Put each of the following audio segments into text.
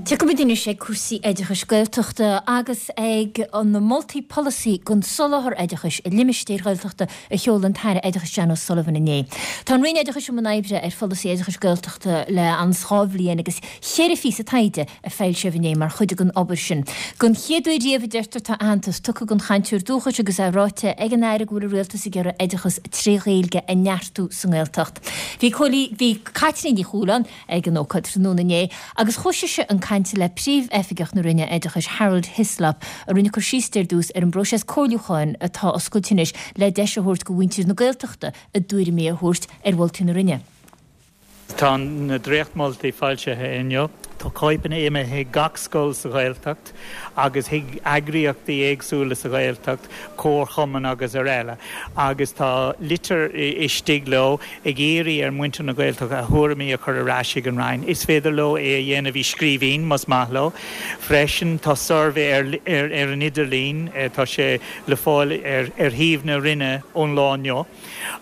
Tiocfaimid anois ag cúrsaí oideachais Gaeltachta agus ag na moltaí polasaí don soláthar oideachais i limistéir Ghaeltachta a sheol an tAire Oideachais Jan O'Sullivan inné. Tá an Roinn Oideachais i mbun oibre ar pholasaí oideachais Gaeltachta le an 2 bhliain agus cheithre phíosa taighde a foilsíodh inné mar chuid den obair sin. Don chéad uair riamh, a deirtear, tá aitheantas tugtha don chainteoir dúchais agus é ráite ag an Aire go bhfuil an Rialtas ag iarraidh oideachas tré Ghaeilge a neartú sa nGaeltacht. Bhí Bhí Caitríona Ní Chualáin ag an ócáid tráthnóna inné agus chuaigh sise chun cainte le Príomh-Oifigeach na Roinne Oideachais Harold Hislop a rinne cur síos ar dtús ar an bpróiseas comhairliúcháin atá oscailte anois le deis a thabhairt do mhuintir na Gaeltachta a dtuairimí a thabhairt ar mholtaí na Roinne. Tá na dréachtmholtaí foilsithe inniu. Tá cóipeanna imithe chuig gach scoil sa Ghaeltacht agus chuig eagraíochtaí éagsúla sa Ghaeltacht, comharchumainn agus araile, agus tá litir istigh leo ag iarraidh ar mhuintir na Gaeltachta a thuairimí a chur ar ais chuig an Roinn. Is féidir leo é a dhéanamh i scríbhinn más maith leo. Freisin tá suirbhé ar an idirlíon, tá sé le fáil ar shuíomh na Roinne ón lá inniu.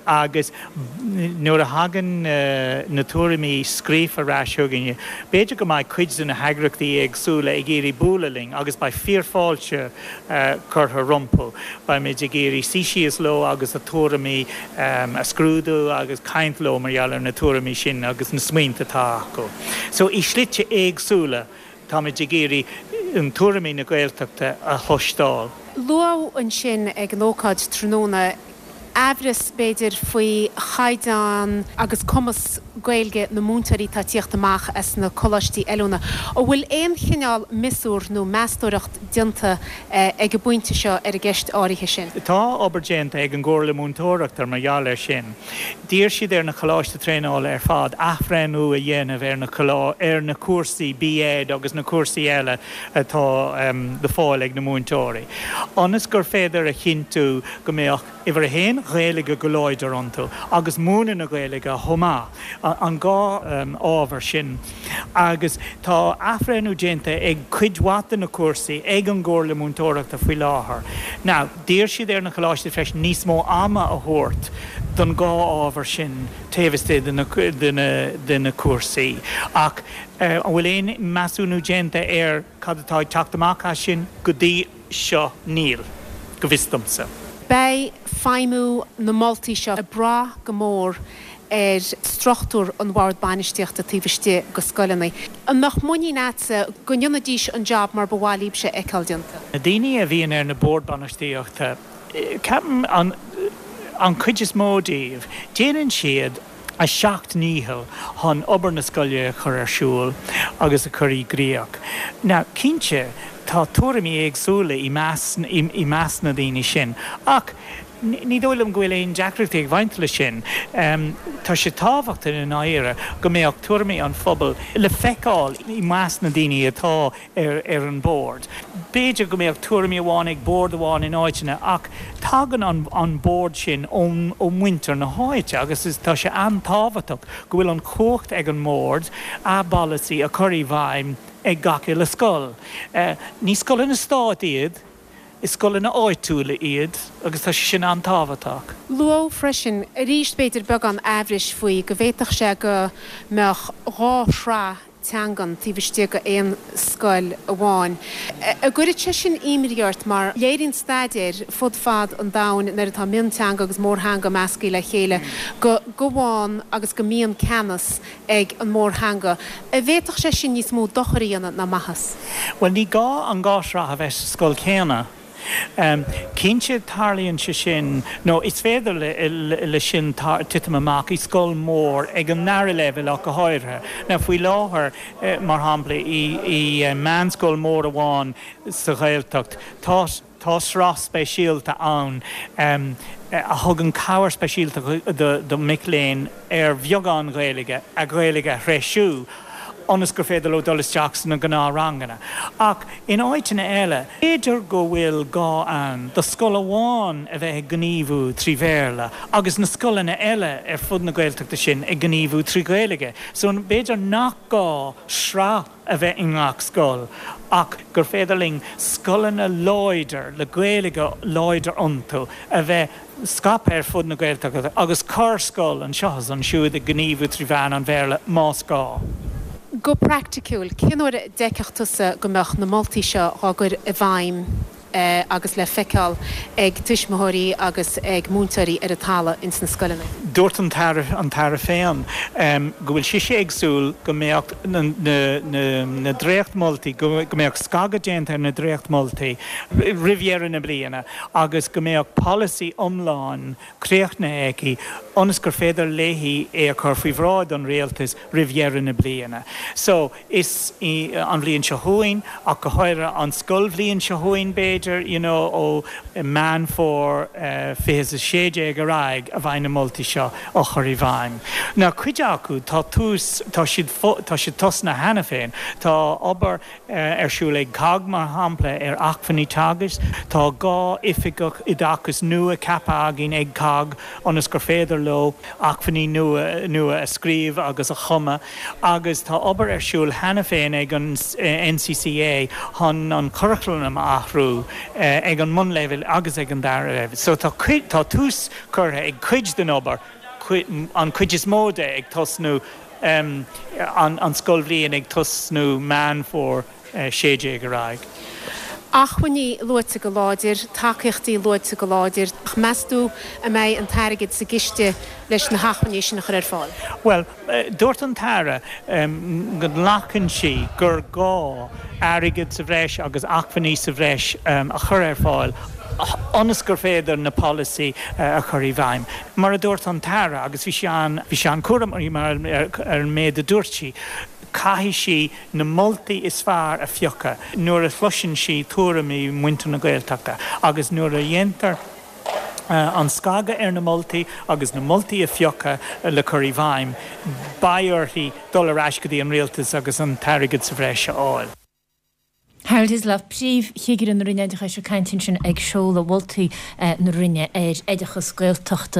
Agus nuair a thagann na tuairimí scríofa ar ais chugainne, b'fhéidir go mbeidh cuid de na heagraíochtaí éagsúla ag iarraidh bualadh linn agus beidh fíorfháilte curtha rompu. Beimid ag iarraidh suí síos leo agus a tuairimí a scrúdú agus caint leo mar gheall ar na tuairimí sin agus na smaointe atá acu. So i slite éagsúla táimid ag iarraidh an tuairimí na Gaeltachta a chloisteáil. Luadh ansin ag an ócáid tráthnóna aimhreas, b'fhéidir, faoi chaighdeán agus cumas Gaeilge na múinteoirí atá ag tíocht amach as na coláistí oiliúna. An bhfuil aon chineál miosúr nó meastóireacht déanta ag an bpointe seo ar an gceist áirithe sin? Tá obair déanta ag an gComhairle Múinteoireachta mar gheall air sin. D'iarr siad ar na coláistí traenála ar fad athbhreithniú a dhéanamh ar na ar na cúrsaí B.Ed agus na cúrsaí eile atá le fáil ag na múinteoirí, ionas gur féidir a chinntiú go mbeadh, uimhir a haon, Gaeilge go láidir iontu agus múineadh na Gaeilge chomh maith, an dhá ábhar sin. Agus tá athbhreithniú déanta ag cuid mhaith de na cúrsaí ag an gComhairle Múinteoireachta faoi láthair. Now, d'iarr siad ar na coláistí freisin níos mó ama a thabhairt don dhá ábhar sin taobh istigh de na cúrsaí. Ach an bhfuil aon measúnú déanta ar cad atá ag teacht amach as sin go dtí seo? Níl, go bhfios domsa. Beidh feidhmiú na moltaí seo ag brath go mór ar struchtúr an bhoird bainistíochta taobh istigh de scoileanna. An mbeadh muinín agatsa go ndéanfaidís an job mar ba mhaith libhse a fheiceáil déanta? Na daoine a bhíonn ar na boird bainistíochta, ceapaim, an chuid is mó díobh, déanann siad a seacht ndícheall chun obair na scoile a chur ar siúl agus a chur i gcrích. Now, cinnte, tá tuairimí éagsúla i measc na daoine sin ach ní dóigh liom go bhfuil aon deacrachtaí ag baint leis sin. Tá sé tábhachtach i ndáiríre go mbeadh tuairimí an phobail le feiceáil i measc na daoine atá ar an bord. B'fhéidir go mbeadh tuairimí amháin ag bord amháin in áiteanna ach tagann an bord sin ó mhuintir na háite agus tá sé an-tábhachtach go bhfuil an chumhacht ag an mbord a bpolasaí a chur i bhfeidhm ag gach uile scoil. Ní scoileanna stáit iad. Is scoileanna áitiúla iad agus tá sé sin an-tábhachtach. Luadh freisin, arís b'fhéidir beagán aimhris faoi, go bhféadfadh sé go mbeadh dhá shraith teangan taobh istigh d'aon scoil amháin. An gcuireann sé sin imní ort mar léiríonn staidéir fud fad an domhain nuair atá mionteanga agus mórtheanga measctha le chéile go gabhann agus go mbíonn ceannas ag an mórtheanga. An bhféadfadh sé sin níos mó dochair a dhéanamh ná maitheas? Bhuel, ní gá an dhá shraith a bheith sa scoil chéanna. Cinnte, tarlaíonn sé sin, nó is féidir leis sin titim amach i scoil mhór ag an ndara leibhéal ach go háirithe. Now, faoi láthair, mar shampla, i meánscoil mhór amháin sa Ghaeltacht, tá. Tá sraith speisialta ann a thugann cabhair speisialta do mhic léinn ar bheagán Gaeilge a Ghaeilge a threisiú ionas gur féidir leo dul isteach sna gnáthranganna. Ach in áiteanna eile, b'fhéidir go bhfuil gá ann do scoil amháin a bheith ag gníomhú trí Bhéarla agus na scoileanna eile ar fud na Gaeltachta sin ag gníomhú trí Ghaeilge. So b'fhéidir nach gá sraith a bheith i ngach scoil ach gur féidir linn scoileanna láidir le Gaeilge láidir iontu a bheith scaipthe ar fud na Gaeltachta agus corr scoil anseo is ansiúd ag gníomhú trí mheán an Bhéarla más gá. Go praiticiúil, cén uair a d'fheicfeadh tusa go mbeadh na moltaí seo dhá gcur i bhfeidhm agus le feiceáil ag tuismitheoirí agus ag múinteoirí ar an talamh ins na scoileanna? Dúirt an tAire, an tAire féin, go bhfuil sise ag súil go mbeadh na dréachtmholtaí, go mbeadh scagadh déanta ar na dréachtmholtaí roimh dheireadh na bliana agus go mbeadh polasaí iomlán críochnaithe aici ionas gur féidir léi é a chur faoi bhráid an Rialtais roimh dheireadh na bliana. So, is í an bhliain seo chugainn, ach go háirithe an scoilbhliain seo chugainn b'fhéidir, you know, ó Meán Fómhair 2016 ar aghaidh a bheidh na moltaí seo á chur i bhfeidhm. Now, cuid acu, tá tús, tá siad, tá siad tosnaithe cheana féin. Tá obair ar siúl ag cogg, mar shampla, ar acmhainní teagaisc. Tá 2 oifigeach oideachais nua ceaptha againn ag cogg ionas gur féidir leo acmhainní nua nua a scríobh agus a chumadh agus tá obair ar siúl cheana féin ag an NCCA chun an curaclam a athrú ag an mbunleibhéal agus ag an dara leibhéal. So tá cuid, tá tús curtha ag cuid den obair, an chuid is mó de ag tosnú an scoilbhliain ag tosnú Meán Fómhair 16 ar aghaidh. Acmhainní luaite go láidir, tacaíochtaí luaite go láidir, ach meas tú an mbeidh an t-airgead sa gciste leis na hacmhainní sin a chur ar fáil? Bhuel, dúirt an tAire go nglacann sí gur gá airgead sa bhreis agus acmhainní sa bhreis a chur ar fáil ionas gur féidir na polasaí a chur i bhfeidhm. Mar a dúirt an tAire, agus bhí sí an, bhí sí an-chúramach mar ar an méid a dúirt sí, caithfidh sí na moltaí is fearr a phiocadh nuair a chloiseann sí tuairimí mhuintir na Gaeltachta agus nuair a dhéantar an scagadh ar na moltaí agus na moltaí a phiocadh le cur i bhfeidhm, beidh uirthi dul ar ais go dtí an Rialtas agus an t-airgead sa bhreis a fháil. Harold Hislop, Príomh-Chigire na Roinne Oideachais ag caint ansin ag seoladh mholtaí na Roinne ar oideachas Gaeltachta.